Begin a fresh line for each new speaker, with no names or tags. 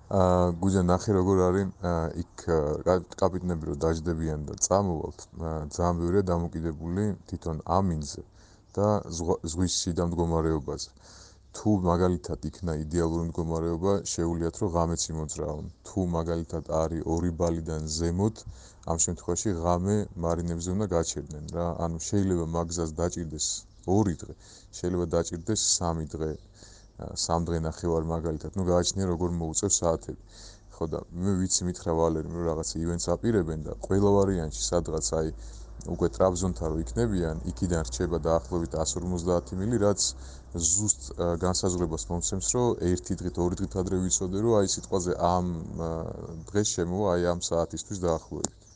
გუჯა ნახე როგორ არის იქ კაპიტნები რო დაждდებიან და წამოვალთ ძალიან ბევრია დამოკიდებული თვითონ ამინზე და ზღვის შიდა მდგომარეობაზე. თუ მაგალითად იქნა იდეალური მდგომარეობა, შეუძლიათ რომ ღამეც იმოძრაონ. თუ მაგალითად არის 2 ბალიდან ზემოთ, ამ შემთხვევაში ღამე მარინებზე უნდა გაჩერდნენ რა. ანუ შეიძლება მაგზას დაჭირდეს 2 დღე, შეიძლება დაჭირდეს 3 დღე. 3 დღე ნახევარ მაგალითად, ну გააჩნია როგორ მოუწევს საათები. ხო და მე ვიცი მითხრა ვალერიმ რომ რაღაცა ივენტს აპირებენ და ყველა ვარიანტში სადღაც აი უკვე ტრაბზონთან რო იქნებიან, იქიდან რჩება დაახლოებით 150 მილი, რაც ზუსტ განსაზღვრებას მომცემს, რომ 1 დღით, 2 დღით ადრე ვიცოდე, რომ აი სიტყვაზე ამ დღეს შემოვა აი ამ საათისთვის დაახლოებით.